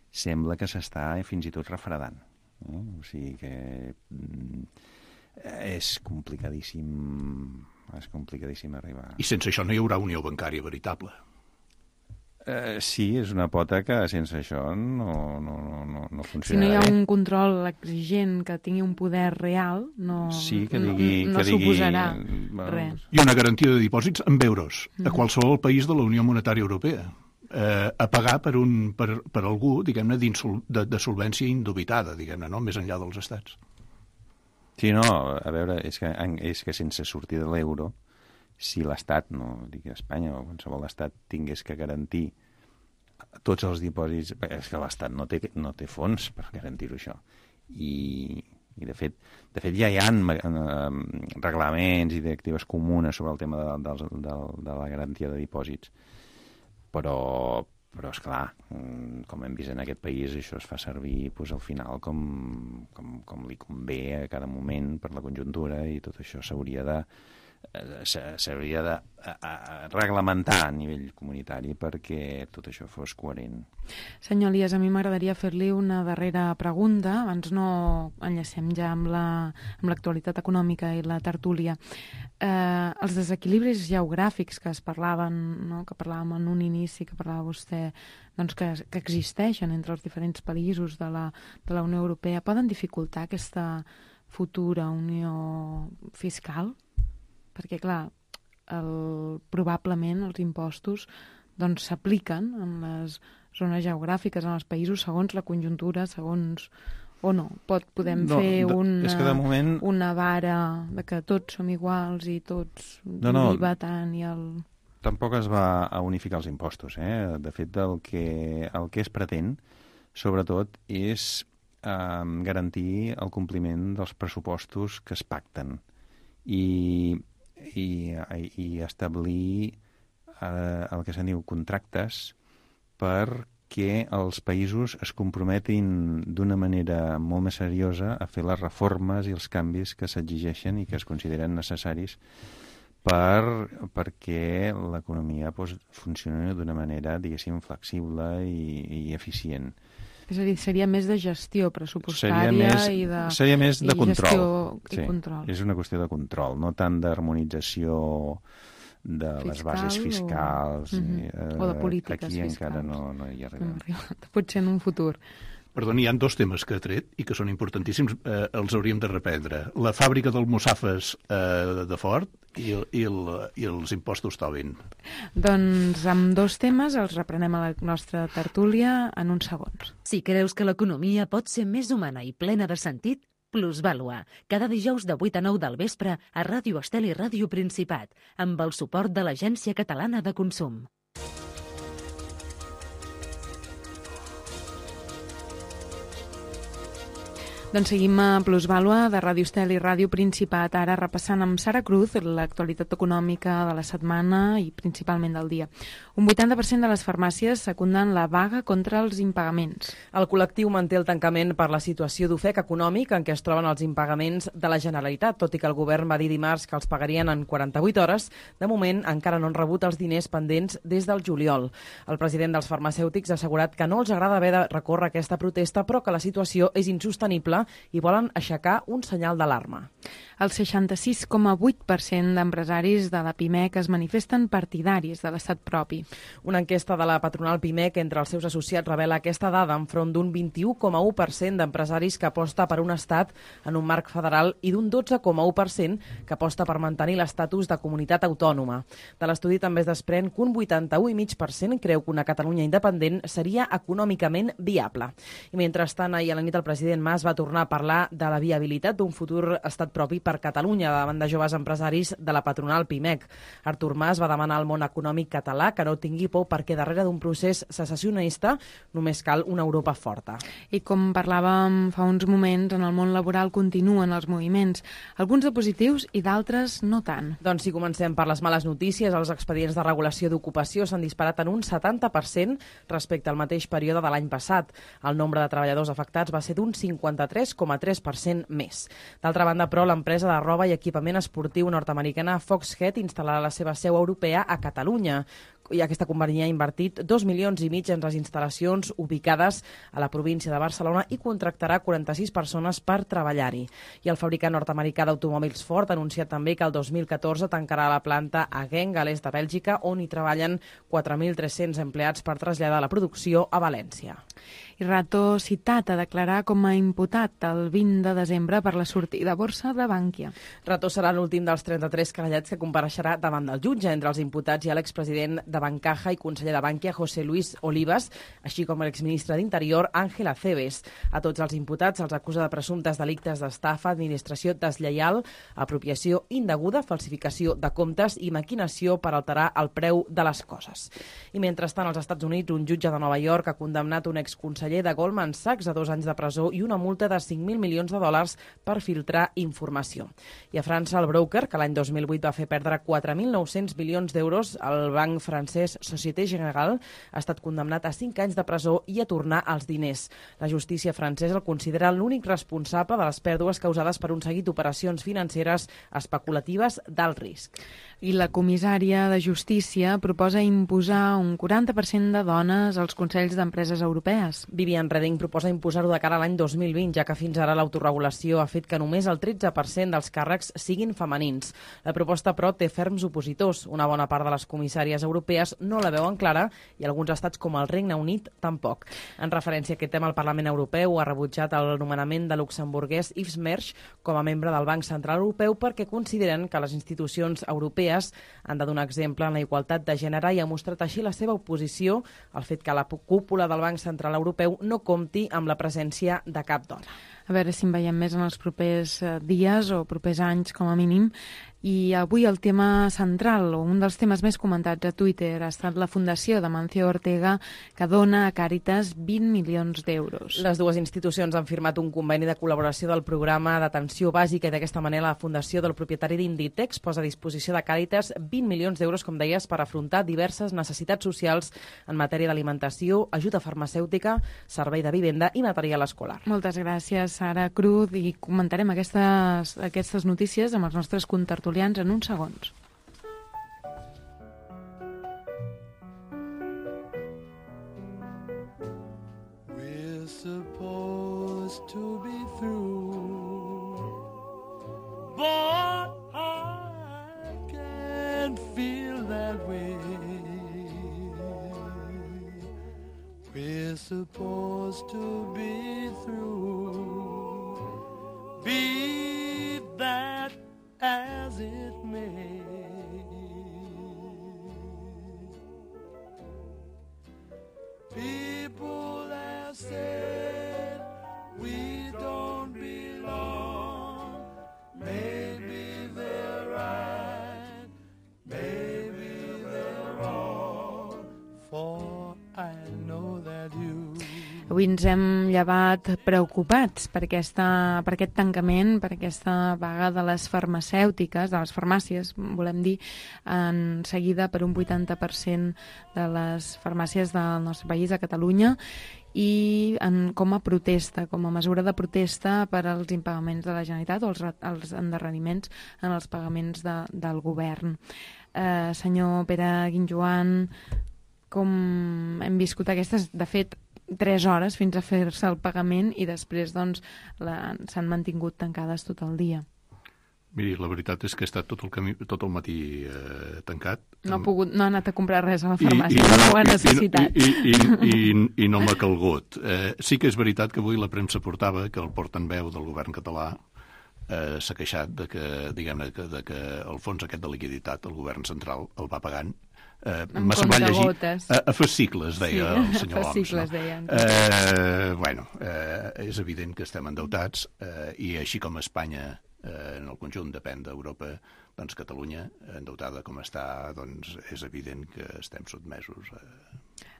[SPEAKER 5] sembla que s'està fins i tot refredant. O sigui que és complicadíssim arribar.
[SPEAKER 6] I sense això no hi haurà unió bancària veritable.
[SPEAKER 5] Sí, és una pota que sense això no funciona.
[SPEAKER 2] Si no hi ha un control exigent que tingui un poder real, no suposarà res.
[SPEAKER 6] I una garantia de dipòsits en euros a qualsevol país de la Unió Monetària Europea. A pagar per algú, diguem-ne, de solvència indubitada, diguem-ne, no? Més enllà dels estats.
[SPEAKER 5] Sí, no, a veure, és que sense sortir de l'euro, si l'Estat, no dic Espanya o qualsevol estat, tingués que garantir tots els dipòsits, és que l'Estat no té fons per garantir-ho això. I de fet ja hi ha reglaments i directives comunes sobre el tema de la garantia de dipòsits. Però esclar, com hem vist en aquest país, això es fa servir al final com li convé a cada moment per la conjuntura, i tot això s'hauria de reglamentar a nivell comunitari perquè tot això fos coherent.
[SPEAKER 2] Senyor Elias, a mi m'agradaria fer-li una darrera pregunta, abans no enllacem ja amb l'actualitat econòmica i la tertúlia. Els desequilibris geogràfics que es parlaven, no? Que parlàvem en un inici, que parlava vostè, doncs que existeixen entre els diferents països de la Unió Europea, poden dificultar aquesta futura unió fiscal? Perquè, clar, probablement els impostos s'apliquen en les zones geogràfiques, en els països, segons la conjuntura, segons... O no? Podem fer una vara de que tots som iguals i tots l'IVA tant i el...
[SPEAKER 5] Tampoc es va a unificar els impostos. De fet, el que es pretén, sobretot, és garantir el compliment dels pressupostos que es pacten i establir el que se'n diu contractes perquè els països es comprometin d'una manera molt més seriosa a fer les reformes i els canvis que s'exigeixen i que es consideren necessaris perquè l'economia funcioni d'una manera, diguéssim, flexible i eficient.
[SPEAKER 2] És a dir, seria més de gestió pressupostària
[SPEAKER 5] seria més de control.
[SPEAKER 2] I control.
[SPEAKER 5] És una qüestió de control, no tant d'harmonització de les bases fiscals.
[SPEAKER 2] O de polítiques
[SPEAKER 5] aquí
[SPEAKER 2] fiscals.
[SPEAKER 5] Encara no hi arribem.
[SPEAKER 2] Potser en un futur.
[SPEAKER 6] Perdoni, hi ha dos temes que ha tret i que són importantíssims, els hauríem de reprendre. La fàbrica d'almussafes de Ford i els impostos Tobin.
[SPEAKER 2] Doncs amb dos temes els reprenem a la nostra tertúlia en uns segons.
[SPEAKER 1] Si creus que l'economia pot ser més humana i plena de sentit, Plusvàlua, cada dijous de 8 a 9 del vespre a Ràdio Estel i Ràdio Principat, amb el suport de l'Agència Catalana de Consum.
[SPEAKER 2] Doncs seguim a Plusvàlua de Ràdio Estel i Ràdio Principat, ara repassant amb Sara Cruz l'actualitat econòmica de la setmana i principalment del dia. Un 80% de les farmàcies secunden la vaga contra els impagaments.
[SPEAKER 3] El col·lectiu manté el tancament per la situació d'ofec econòmic en què es troben els impagaments de la Generalitat, tot i que el govern va dir dimarts que els pagarien en 48 hores. De moment encara no han rebut els diners pendents des del juliol. El president dels farmacèutics ha assegurat que no els agrada haver de recórrer aquesta protesta, però que la situació és insostenible sostenible i volen aixecar un senyal d'alarma.
[SPEAKER 2] El 66,8% d'empresaris de la PIMEC es manifesten partidaris de l'estat propi.
[SPEAKER 3] Una enquesta de la patronal PIMEC entre els seus associats revela aquesta dada enfront d'un 21,1% d'empresaris que aposta per un estat en un marc federal i d'un 12,1% que aposta per mantenir l'estatus de comunitat autònoma. De l'estudi també es desprèn que un 81,5% creu que una Catalunya independent seria econòmicament viable. I mentrestant, ahir a la nit el president Mas va tornar a parlar de la viabilitat d'un futur estat propi per Catalunya davant de joves empresaris de la patronal PIMEC. Artur Mas va demanar al món econòmic català que no tingui por perquè darrere d'un procés secessionista només cal una Europa forta.
[SPEAKER 2] I com parlàvem fa uns moments, en el món laboral continuen els moviments, alguns de positius i d'altres no tant.
[SPEAKER 3] Doncs si comencem per les males notícies, els expedients de regulació d'ocupació s'han disparat en un 70% respecte al mateix període de l'any passat. El nombre de treballadors afectats va ser d'un 53,3% més. D'altra banda, però, l'empresa de roba i equipament esportiu nord-americana Foxhead instal·larà la seva seu europea a Catalunya. I aquesta companyia ha invertit 2,5 milions en les instal·lacions ubicades a la província de Barcelona i contractarà 46 persones per treballar-hi. I el fabricant nord-americà d'automòbils Ford ha anunciat també que el 2014 tancarà la planta a Genk, a l'est de Bèlgica, on hi treballen 4.300 empleats per traslladar la producció a València.
[SPEAKER 2] I Rato citat a declarar com a imputat el 20 de desembre per la sortida a borsa de Bankia.
[SPEAKER 3] Rato serà l'últim dels 33 querellats que compareixerà davant del jutge. Entre els imputats hi ha l'expresident de Bancaja i conseller de Bankia, José Luis Olivas, així com l'exministre d'Interior, Ángel Acebes. A tots els imputats se'ls acusa de presumptes delictes d'estafa, administració deslleial, apropiació indeguda, falsificació de comptes i maquinació per alterar el preu de les coses. I mentrestant, als Estats Units, un jutge de Nova York ha condemnat un exconseller de Goldman Sachs a 2 anys de presó i una multa de 5.000 milions de dòlars per filtrar informació. I a França, el broker, que l'any 2008 va fer perdre 4.900 milions d'euros al banc francès Société Générale, ha estat condemnat a 5 anys de presó i a tornar els diners. La justícia francesa el considera l'únic responsable de les pèrdues causades per un seguit d'operacions financeres especulatives d'alt risc.
[SPEAKER 2] I la comissària de Justícia proposa imposar un 40% de dones als consells d'empreses europees.
[SPEAKER 3] Viviane Reding proposa imposar-ho de cara a l'any 2020, ja que fins ara l'autoregulació ha fet que només el 13% dels càrrecs siguin femenins. La proposta, però, té ferms opositors. Una bona part de les comissàries europees no la veuen clara i alguns estats com el Regne Unit tampoc. En referència a aquest tema, el Parlament Europeu ha rebutjat el nomenament de luxemburguès Yves Mersch com a membre del Banc Central Europeu perquè consideren que les institucions europees han de donar exemple en la igualtat de gènere i ha mostrat així la seva oposició al fet que la cúpula del Banc Central Europeu no compti amb la presència de cap dona.
[SPEAKER 2] A veure si en veiem més en els propers dies o propers anys, com a mínim. I avui el tema central, o un dels temes més comentats a Twitter, ha estat la fundació de Mancio Ortega, que dona a Càritas 20 milions d'euros.
[SPEAKER 3] Les dues institucions han firmat un conveni de col·laboració del programa d'atenció bàsica i d'aquesta manera la fundació del propietari d'Inditex posa a disposició de Càritas 20 milions d'euros, com deies, per afrontar diverses necessitats socials en matèria d'alimentació, ajuda farmacèutica, servei de vivenda i material escolar.
[SPEAKER 2] Moltes gràcies, Sara Cruz, i comentarem aquestes notícies amb els nostres contertulians en uns segons.
[SPEAKER 4] We're supposed to be through, but I can't feel that way. We're supposed to be through, be that as it may. People have said we don't belong. Maybe they're right, maybe they're wrong, for I know that you.
[SPEAKER 2] Avui ens hem llevat preocupats per aquest tancament, per aquesta vaga de les farmacèutiques, de les farmàcies, volem dir, en seguida per un 80% de les farmàcies del nostre país, a Catalunya, i com a protesta, com a mesura de protesta per als impagaments de la Generalitat o els endarreriments en els pagaments del govern. Senyor Pere Guinjoan, com hem viscut aquestes, de fet, 3 hores fins a fer-se el pagament i després doncs, s'han mantingut tancades tot el dia.
[SPEAKER 6] Miri, la veritat és que he estat tot el matí tancat.
[SPEAKER 2] No ha anat a comprar res a la farmàcia, no ho ha necessitat.
[SPEAKER 6] I no m'ha calgut. Sí que és veritat que avui la premsa portava que el portaveu del govern català s'ha queixat de que el fons aquest de liquiditat, el govern central, el va pagant. M'ha semblat llegir a fascicles, deia el senyor Homs. És evident que estem endeutats i així com Espanya en el conjunt depèn d'Europa, doncs Catalunya, endeutada com està, doncs és evident que estem sotmesos a...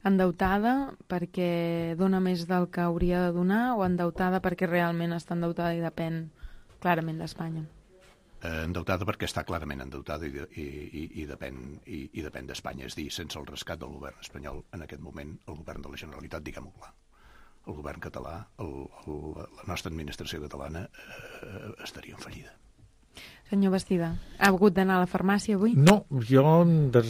[SPEAKER 2] Endeutada perquè dona més del que hauria de donar o endeutada perquè realment està endeutada i depèn clarament d'Espanya?
[SPEAKER 6] Endeutada perquè està clarament endeutada i depèn d'Espanya. És dir, sense el rescat del govern espanyol, en aquest moment, el govern de la Generalitat, diguem-ho clar, el govern català, la nostra administració catalana estaria en fallida.
[SPEAKER 2] Senyor Bastida, ha hagut d'anar a la farmàcia avui?
[SPEAKER 7] No, jo no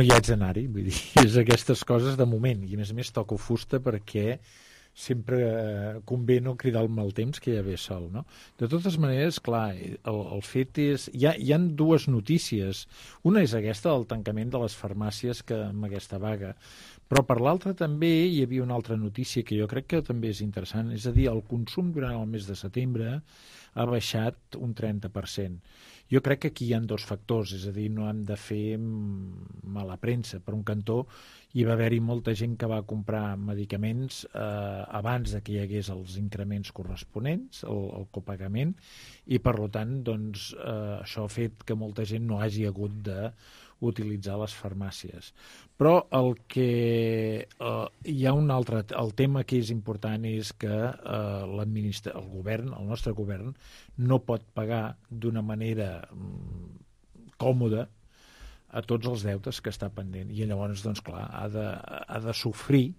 [SPEAKER 7] hi haig d'anar-hi, vull dir, és aquestes coses de moment, i a més toco fusta perquè sempre convé no cridar el mal temps que ja ve sol, no? De totes maneres, clar, el fet és... Hi ha dues notícies. Una és aquesta, del tancament de les farmàcies amb aquesta vaga, però per l'altra també hi havia una altra notícia que jo crec que també és interessant, és a dir, el consum durant el mes de setembre ha baixat un 30%. Jo crec que aquí hi ha dos factors, és a dir, no hem de fer mala premsa. Per un cantó, hi va haver-hi molta gent que va comprar medicaments abans de que hi hagués els increments corresponents, el copagament, i per tant, doncs, això ha fet que molta gent no hagi hagut d'utilitzar les farmàcies. Però el tema que és important és que el govern, el nostre govern, no pot pagar d'una manera còmoda a tots els deutes que està pendent. I llavors, doncs, clar, ha de sofrir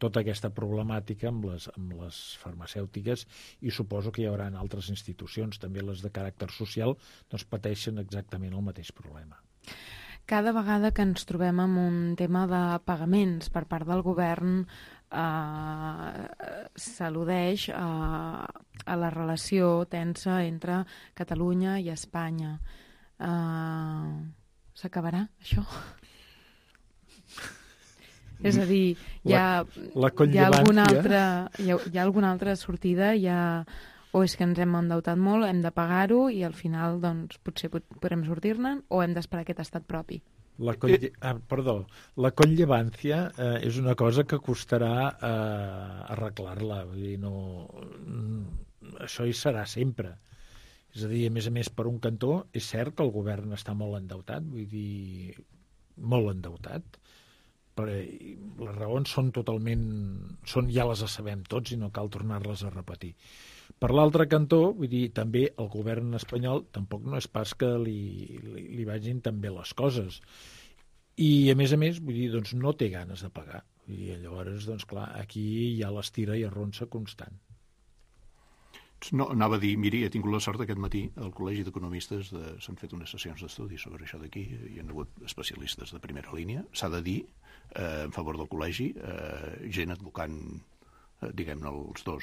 [SPEAKER 7] tota aquesta problemàtica amb les farmacèutiques i suposo que hi haurà altres institucions, també les de caràcter social, doncs pateixen exactament el mateix problema.
[SPEAKER 2] Cada vegada que ens trobem amb un tema de pagaments per part del govern s'al·ludeix a la relació tensa entre Catalunya i Espanya. S'acabarà, això? És a dir, hi ha alguna altra sortida, o és que ens hem endeutat molt, hem de pagar-ho i al final doncs, potser podrem sortir-ne, o hem d'esperar aquest estat propi?
[SPEAKER 7] La conllevància és una cosa que costarà arreglar-la. Vull dir, això hi serà sempre. És a dir, a més, per un cantó, és cert que el govern està molt endeutat, vull dir, molt endeutat, però les raons ja les sabem tots i no cal tornar-les a repetir. Per l'altre cantó, vull dir, també el govern espanyol tampoc no és pas que li vagin tan bé les coses. I, a més, vull dir, doncs no té ganes de pagar. I llavors, doncs clar, aquí hi ha l'estira i arronsa constant.
[SPEAKER 6] No, anava a dir, miri, he tingut la sort aquest matí al Col·legi d'Economistes s'han fet unes sessions d'estudi sobre això d'aquí, hi ha hagut especialistes de primera línia, s'ha de dir, en favor del col·legi, gent advocant, diguem-ne, els dos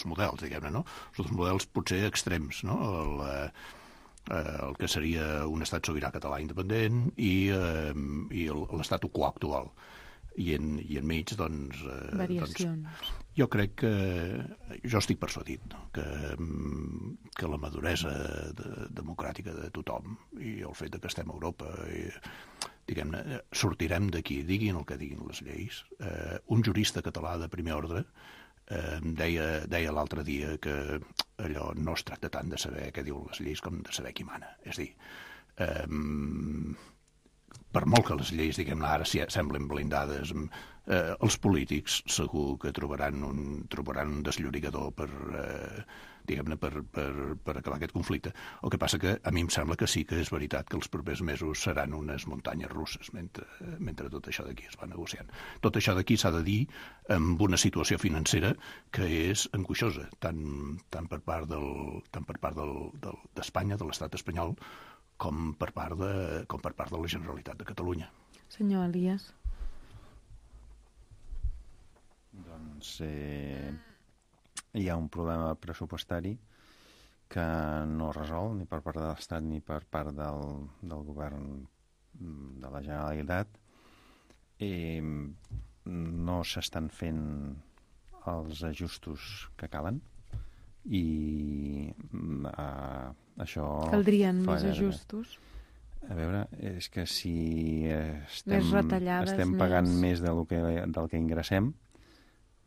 [SPEAKER 6] models, diguem-ne, no? Els dos models potser extrems, no? El que seria un estat sobirà català independent i l'estatu quo actual. I enmig, doncs...
[SPEAKER 2] Variacions.
[SPEAKER 6] Jo crec que... Jo estic persuadit, no? que la maduresa democràtica de tothom i el fet que estem a Europa, diguem-ne, sortirem d'aquí, diguin el que diguin les lleis. Un jurista català de primer ordre deia l'altre dia que allò no es tracta tant de saber què diuen les lleis com de saber qui mana. És a dir, per molt que les lleis, diguem-ne, ara semblen blindades, els polítics segur que trobaran un desllorigador per acabar aquest conflicte. El que passa que a mi em sembla que sí que és veritat que els propers mesos seran unes muntanyes russes mentre tot això d'aquí es va negociant. Tot això d'aquí s'ha de dir amb una situació financera que és angoixosa, tant per part d'Espanya, de l'estat espanyol, com per part de la Generalitat de Catalunya.
[SPEAKER 2] Senyor Elias.
[SPEAKER 5] doncs hi ha un problema pressupostari que no resol ni per part de l'Estat ni per part del govern de la Generalitat. No s'estan fent els ajustos que calen i això...
[SPEAKER 2] Caldrien més ajustos?
[SPEAKER 5] A veure, és que si
[SPEAKER 2] retallades,
[SPEAKER 5] estem pagant més del que ingressem,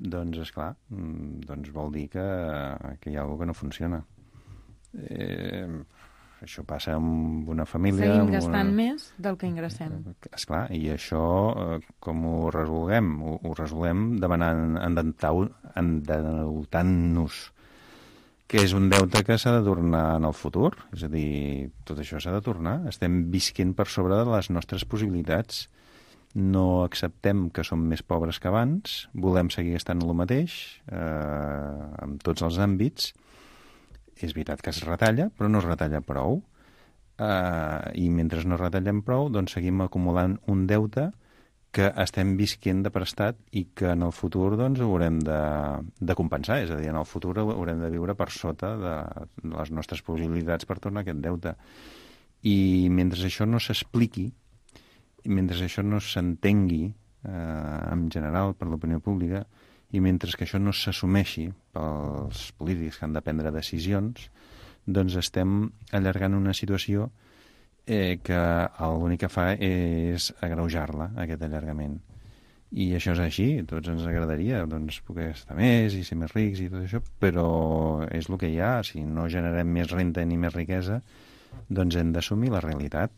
[SPEAKER 5] doncs, esclar, doncs vol dir que hi ha alguna cosa que no funciona. Això passa amb una família...
[SPEAKER 2] Seguim gastant més del que ingressem.
[SPEAKER 5] Esclar, i això com ho resolguem? Ho resolguem demanant, endeutant-nos, que és un deute que s'ha de tornar en el futur. És a dir, tot això s'ha de tornar. Estem visquent per sobre de les nostres possibilitats. No acceptem que som més pobres que abans, volem seguir estant el mateix en tots els àmbits. És veritat que es retalla, però no es retalla prou. I mentre no retallem prou, doncs seguim acumulant un deute que estem visquent de prestat i que en el futur doncs, haurem de compensar. És a dir, en el futur haurem de viure per sota de les nostres possibilitats per tornar aquest deute. I mentre això no s'expliqui, i mentre això no s'entengui en general per l'opinió pública, i mentre que això no s'assumeixi pels polítics que han de prendre decisions, doncs estem allargant una situació que l'únic que fa és agreujar-la, aquest allargament. I això és així, a tots ens agradaria doncs, poder estar més i ser més rics i tot això, però és el que hi ha. Si no generem més renda ni més riquesa, doncs hem d'assumir la realitat.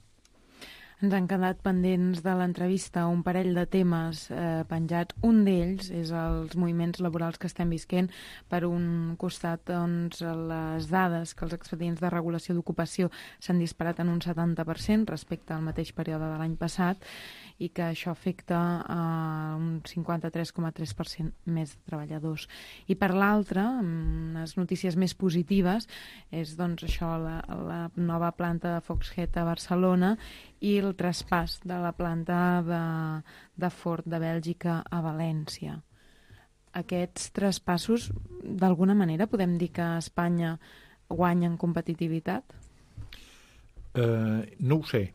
[SPEAKER 2] Ens han quedat pendents de l'entrevista un parell de temes penjats. Un d'ells és els moviments laborals que estem visquent. Per un costat, doncs, les dades que els expedients de regulació d'ocupació s'han disparat en un 70% respecte al mateix període de l'any passat i que això afecta a un 53,3% més de treballadors. I per l'altra, unes notícies més positives, és doncs això, la nova planta de Foxhead a Barcelona i el traspàs de la planta de Ford de Bèlgica a València. Aquests traspassos, d'alguna manera, podem dir que Espanya guanya en competitivitat?
[SPEAKER 7] No ho sé.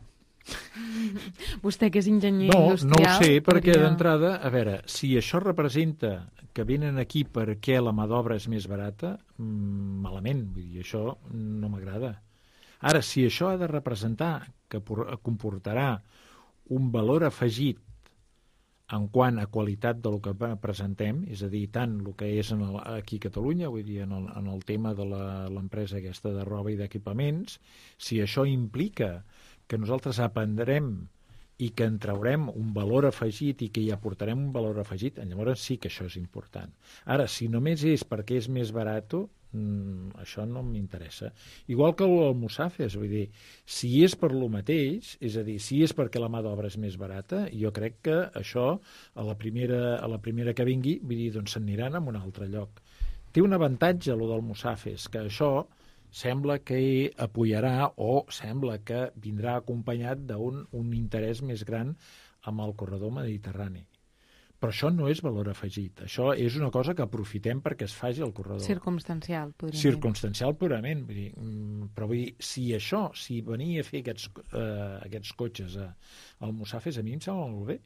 [SPEAKER 2] Vostè, que és enginyer industrial...
[SPEAKER 7] No ho sé, perquè d'entrada, a veure, si això representa que venen aquí perquè la mà d'obra és més barata, malament, vull dir, això no m'agrada. Ara, si això ha de representar que comportarà un valor afegit en quant a qualitat del que presentem, és a dir, tant el que és aquí a Catalunya, vull dir, en el tema de l'empresa aquesta de roba i d'equipaments, si això implica que nosaltres aprendrem i que en traurem un valor afegit i que hi aportarem un valor afegit, llavors sí que això és important. Ara, si només és perquè és més barat, això no m'interessa. Igual que el Musafes, vull dir, si és per lo mateix, és a dir, si és perquè la mà d'obra és més barata, jo crec que això, a la primera que vingui, vull dir, doncs s'aniran a un altre lloc. Té un avantatge, lo del Musafes, que això sembla que apoyarà o sembla que vindrà acompanyat d'un interès més gran amb el corredor mediterrani. Però això no és valor afegit. Això és una cosa que aprofitem perquè es faci el corredor.
[SPEAKER 2] Circumstancial, podríem dir.
[SPEAKER 7] Circumstancial purament. Vull dir, però vull dir, si venir a fer aquests cotxes al Musafes, a mi em sembla molt bé.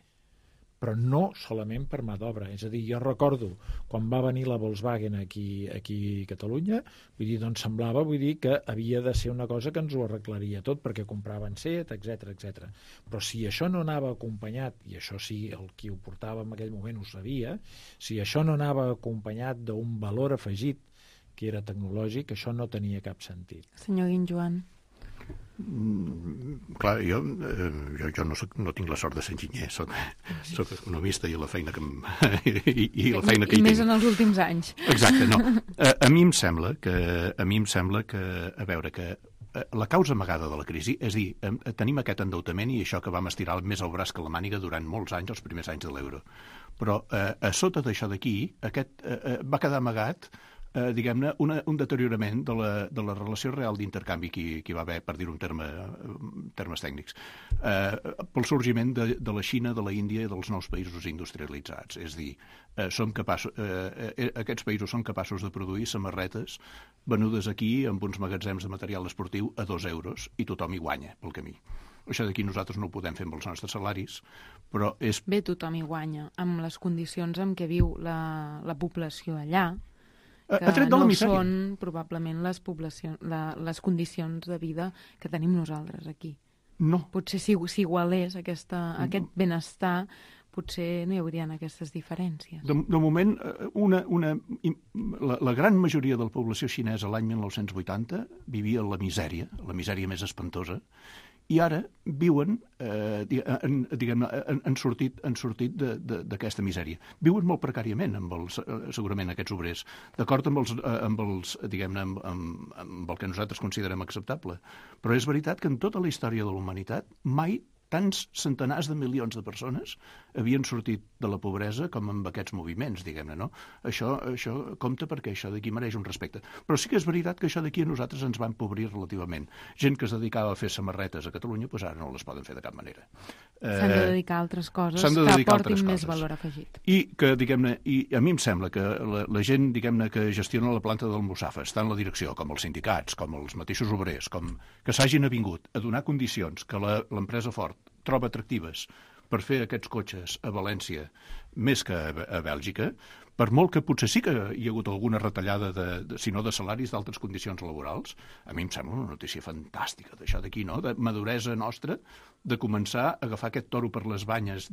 [SPEAKER 7] Però no solament per mà d'obra. És a dir, jo recordo quan va venir la Volkswagen aquí a Catalunya, vull dir, doncs semblava que havia de ser una cosa que ens ho arreglaria tot, perquè compraven Seat, etc. Però si això no anava acompanyat, i això sí, el qui ho portava en aquell moment ho sabia, si això no anava acompanyat d'un valor afegit, que era tecnològic, això no tenia cap sentit.
[SPEAKER 2] Senyor Guinjoan.
[SPEAKER 6] Clar, jo no tinc la sort de ser enginyer, soc economista i la feina que i la feina que hi tinc.
[SPEAKER 2] I més en els últims anys.
[SPEAKER 6] Exacte, no. A mi em sembla que, a veure, que la causa amagada de la crisi, és a dir, tenim aquest endeutament i això que vam estirar més el braç que la màniga durant molts anys, els primers anys de l'euro. Però a sota d'això d'aquí, va quedar amagat diguem-ne, un deteriorament de la relació real d'intercanvi que hi va haver, per dir-ho en termes tècnics, pel sorgiment de la Xina, de la Índia i dels nous països industrialitzats. És a dir, aquests països són capaços de produir samarretes venudes aquí amb uns magatzems de material esportiu a 2 euros i tothom hi guanya pel camí. Això d'aquí nosaltres no ho podem fer amb els nostres salaris, però és...
[SPEAKER 2] Bé, tothom hi guanya, amb les condicions en què viu la població allà, que no són probablement les condicions de vida que tenim nosaltres aquí.
[SPEAKER 6] No.
[SPEAKER 2] Potser si igualés aquest benestar, potser no hi haurien aquestes diferències.
[SPEAKER 6] De moment, la gran majoria de la població xinesa l'any 1980 vivia la misèria més espantosa, i ara viuen, han sortit d'aquesta misèria. Viuen molt precàriament, segurament, aquests obrers, d'acord amb el que nosaltres considerem acceptable. Però és veritat que en tota la història de la humanitat mai tants centenars de milions de persones havien sortit de la pobresa com amb aquests moviments, diguem-ne, no? Això compta perquè això d'aquí mereix un respecte. Però sí que és veritat que això d'aquí a nosaltres ens va empobrir relativament. Gent que es dedicava a fer samarretes a Catalunya, doncs ara no les poden fer de cap manera.
[SPEAKER 2] S'han de dedicar a altres coses que aportin més valor afegit.
[SPEAKER 6] I que, diguem-ne, i a mi em sembla que la gent, diguem-ne, que gestiona la planta del Musafa, està en la direcció, com els sindicats, com els mateixos obrers, com que s'hagin avingut a donar condicions que l'empresa Ford troba atractives per fer aquests cotxes a València més que a Bèlgica, per molt que potser sí que hi ha hagut alguna retallada, si no de salaris, d'altres condicions laborals, a mi em sembla una notícia fantàstica d'això d'aquí, no? De maduresa nostra, de començar a agafar aquest toro per les banyes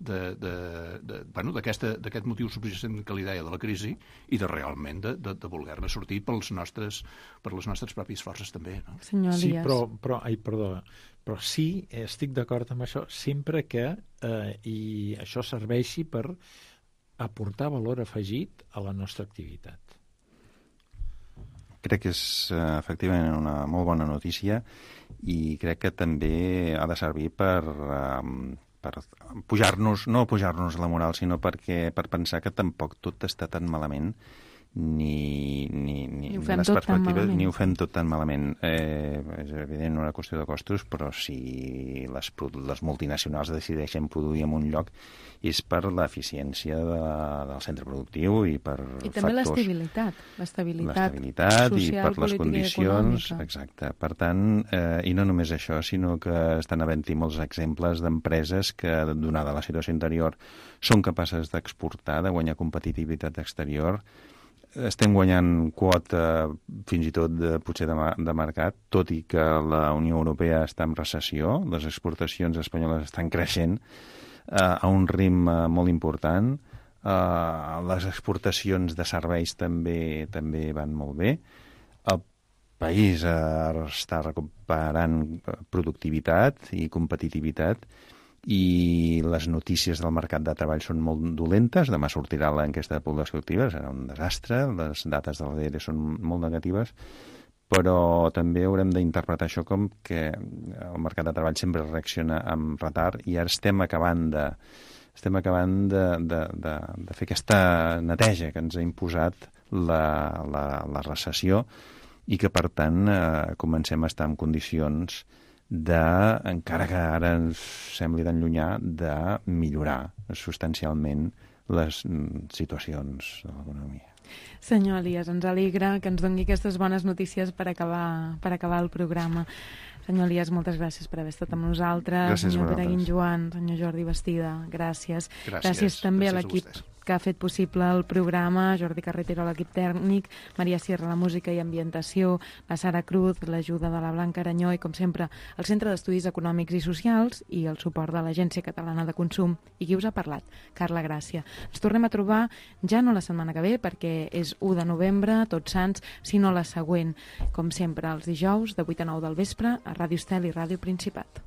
[SPEAKER 6] d'aquest motiu subjacent que li deia de la crisi i de realment de voler-ne sortir per les nostres pròpies forces també, no?
[SPEAKER 2] Senyor Elias.
[SPEAKER 7] Sí, però sí, estic d'acord amb això, sempre que i això serveixi per aportar valor afegit a la nostra activitat.
[SPEAKER 5] Crec que és efectivament una molt bona notícia i crec que també ha de servir per pujar-nos, no pujar-nos la moral, sinó per pensar que tampoc tot està tan malament ni
[SPEAKER 2] ho fem tot tan malament.
[SPEAKER 5] Ni ho fem tot tan malament. És evident una qüestió de costos, però si les multinacionals decideixen produir en un lloc és per l'eficiència del centre productiu i per
[SPEAKER 2] i també
[SPEAKER 5] factors...
[SPEAKER 2] l'estabilitat
[SPEAKER 5] social, i per les condicions. Exacte. Per tant, i no només això, sinó que estan havent-hi molts exemples d'empreses que, donada la situació interior, són capaces d'exportar, de guanyar competitivitat exterior. Estem guanyant quota fins i tot potser de mercat, tot i que la Unió Europea està en recessió, les exportacions espanyoles estan creixent a un ritme molt important, les exportacions de serveis també van molt bé, el país està recuperant productivitat i competitivitat, i les notícies del mercat de treball són molt dolentes. Demà sortirà l'enquesta de població activa, serà un desastre, les dates de l'ADR són molt negatives, però també haurem d'interpretar això com que el mercat de treball sempre reacciona amb retard i ara estem acabant de fer aquesta neteja que ens ha imposat la recessió i que, per tant, comencem a estar en condicions encara que ara ens sembli tan llunyà, de millorar substancialment les situacions de l'economia.
[SPEAKER 2] Senyor Elias, ens alegra que ens doni aquestes bones notícies per acabar el programa. Senyor Elias, moltes gràcies per haver estat amb nosaltres.
[SPEAKER 5] Gràcies,
[SPEAKER 2] senyor Pere Guinjoan, senyor Jordi Bastida, gràcies. Gràcies també a l'equip que ha fet possible el programa, Jordi Carretero a l'equip tècnic, Maria Sierra a la música i ambientació, la Sara Cruz, l'ajuda de la Blanca Aranyó i, com sempre, el Centre d'Estudis Econòmics i Socials i el suport de l'Agència Catalana de Consum. I qui us ha parlat? Carla Gràcia. Ens tornem a trobar ja no la setmana que ve, perquè és 1 de novembre, Tots Sants, sinó la següent, com sempre, els dijous de 8 a 9 del vespre a Ràdio Estel i Ràdio Principat.